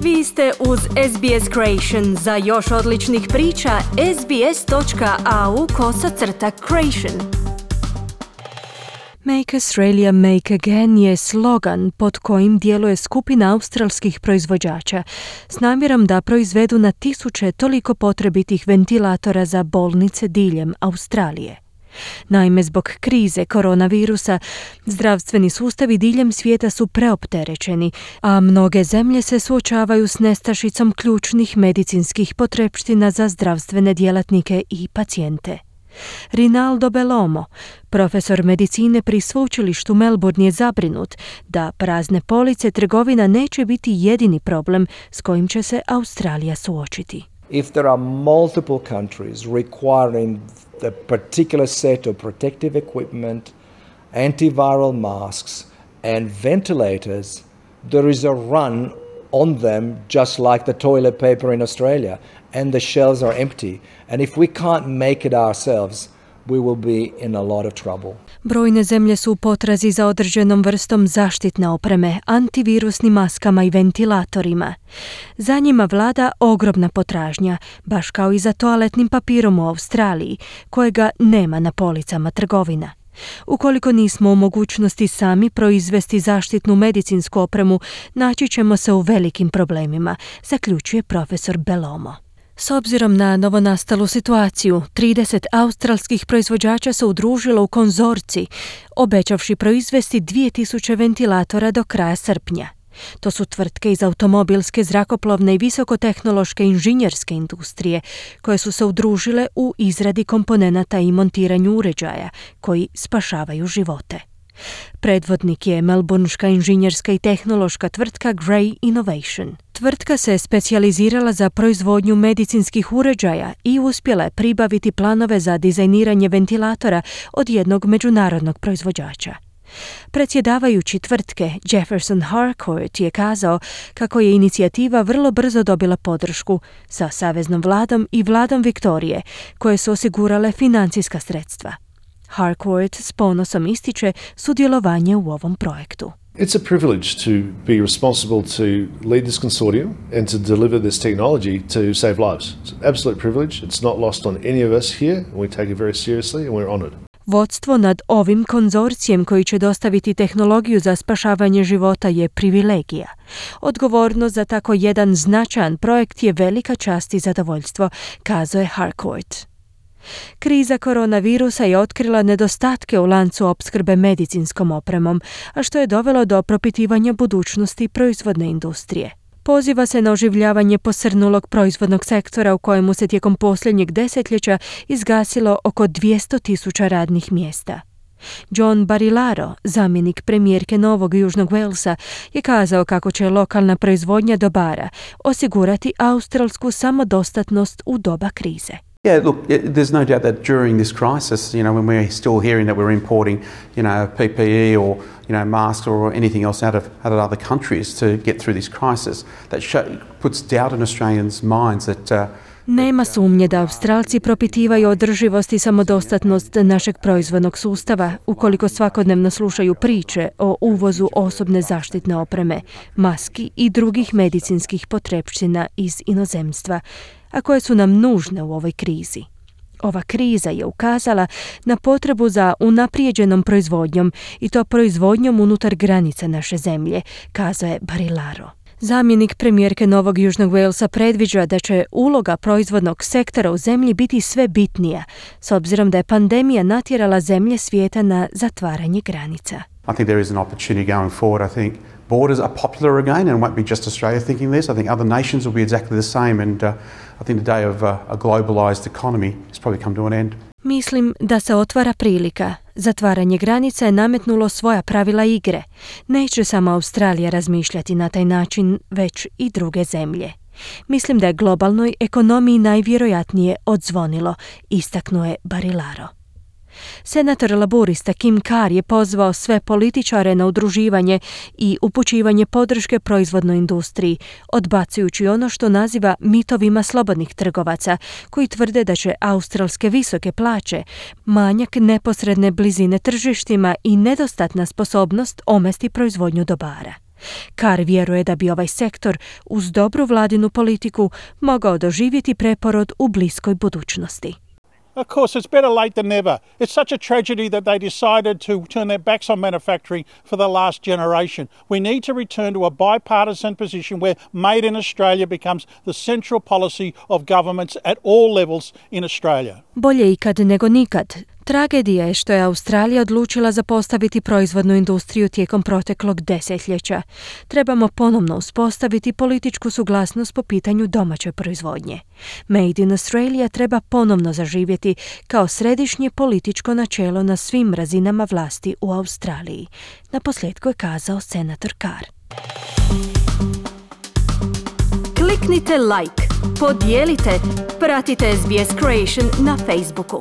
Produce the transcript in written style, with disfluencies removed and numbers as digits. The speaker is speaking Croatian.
Vi ste uz SBS Creation. Za još odličnih priča, sbs.au/creation. Make Australia Make Again je slogan pod kojim djeluje skupina australskih proizvođača s namjerom da proizvedu na tisuće toliko potrebitih ventilatora za bolnice diljem Australije. Naime, zbog krize koronavirusa, zdravstveni sustavi diljem svijeta su preopterećeni, a mnoge zemlje se suočavaju s nestašicom ključnih medicinskih potrepština za zdravstvene djelatnike i pacijente. Rinaldo Bellomo, profesor medicine pri sveučilištu Melbourne, je zabrinut da prazne police trgovina neće biti jedini problem s kojim će se Australija suočiti. If there are multiple countries requiring the particular set of protective equipment, antiviral masks and ventilators, there is a run on them just like the toilet paper in Australia, and the shelves are empty. And if we can't make it ourselves, we will be in a lot of trouble. Brojne zemlje su u potrazi za određenom vrstom zaštitne opreme, antivirusnim maskama i ventilatorima. Za njima vlada ogromna potražnja, baš kao i za toaletnim papirom u Australiji, kojega nema na policama trgovina. Ukoliko nismo u mogućnosti sami proizvesti zaštitnu medicinsku opremu, naći ćemo se u velikim problemima, zaključuje profesor Bellomo. S obzirom na novonastalu situaciju, 30 australskih proizvođača se udružilo u konzorcij, obećavši proizvesti 2000 ventilatora do kraja srpnja. To su tvrtke iz automobilske, zrakoplovne i visokotehnološke inženjerske industrije, koje su se udružile u izradi komponenata i montiranju uređaja koji spašavaju živote. Predvodnik je melbourneška inženjerska i tehnološka tvrtka Grey Innovation. Tvrtka se specijalizirala za proizvodnju medicinskih uređaja i uspjela je pribaviti planove za dizajniranje ventilatora od jednog međunarodnog proizvođača. Predsjedavajući tvrtke Jefferson Harcourt je kazao kako je inicijativa vrlo brzo dobila podršku sa saveznom vladom i vladom Viktorije, koje su osigurale financijska sredstva. Harcourt s ponosom ističe sudjelovanje u ovom projektu. It's a privilege to be responsible to lead this consortium and to deliver this technology to save lives. It's an absolute privilege. It's not lost on any of us here, and we take it very seriously and we're honored. Vodstvo nad ovim konzorcijem koji će dostaviti tehnologiju za spašavanje života je privilegija. Odgovornost za tako jedan značajan projekt je velika čast i zadovoljstvo, kazao je Harcourt. Kriza koronavirusa je otkrila nedostatke u lancu opskrbe medicinskom opremom, a što je dovelo do propitivanja budućnosti proizvodne industrije. Poziva se na oživljavanje posrnulog proizvodnog sektora u kojemu se tijekom posljednjeg desetljeća izgasilo oko 200,000 radnih mjesta. John Barilaro, zamjenik premijerke Novog Južnog Walesa, je kazao kako će lokalna proizvodnja dobara osigurati australsku samodostatnost u doba krize. Yeah, look, there's no doubt that during this crisis, when we're still hearing that we're importing, PPE or, masks or anything else out of other countries to get through this crisis, that puts doubt in Australians' minds that Nema sumnje da Australci propitivaju održivost i samodostatnost našeg proizvodnog sustava ukoliko svakodnevno slušaju priče o uvozu osobne zaštitne opreme, maski i drugih medicinskih potrepština iz inozemstva, a koje su nam nužne u ovoj krizi. Ova kriza je ukazala na potrebu za unaprijeđenom proizvodnjom i to proizvodnjom unutar granica naše zemlje, kazao je Barilaro. Zamjenik premijerke Novog Južnog Walesa predviđa da će uloga proizvodnog sektora u zemlji biti sve bitnija, s obzirom da je pandemija natjerala zemlje svijeta na zatvaranje granica. I think there is an opportunity going forward. I think borders are popular again and it won't be just Australia thinking this. I think other nations will be exactly the same and I think the day of a globalized economy has probably come to an end. Mislim da se otvara prilika. Zatvaranje granica je nametnulo svoja pravila igre. Neće samo Australija razmišljati na taj način, već i druge zemlje. Mislim da je globalnoj ekonomiji najvjerojatnije odzvonilo, istaknuo je Barilaro. Senator laburista Kim Carr je pozvao sve političare na udruživanje i upućivanje podrške proizvodnoj industriji, odbacujući ono što naziva mitovima slobodnih trgovaca, koji tvrde da će australske visoke plaće, manjak neposredne blizine tržištima i nedostatna sposobnost omesti proizvodnju dobara. Carr vjeruje da bi ovaj sektor uz dobru vladinu politiku mogao doživjeti preporod u bliskoj budućnosti. Of course, it's better late than never. It's such a tragedy that they decided to turn their backs on manufacturing for the last generation. We need to return to a bipartisan position where Made in Australia becomes the central policy of governments at all levels in Australia. Bolje ikad nego nikad. Tragedija je što je Australija odlučila zapostaviti proizvodnu industriju tijekom proteklog desetljeća. Trebamo ponovno uspostaviti političku suglasnost po pitanju domaće proizvodnje. Made in Australia treba ponovno zaživjeti kao središnje političko načelo na svim razinama vlasti u Australiji. Naposljetku je kazao senator Carr. Kliknite like, podijelite, pratite SBS Creation na Facebooku.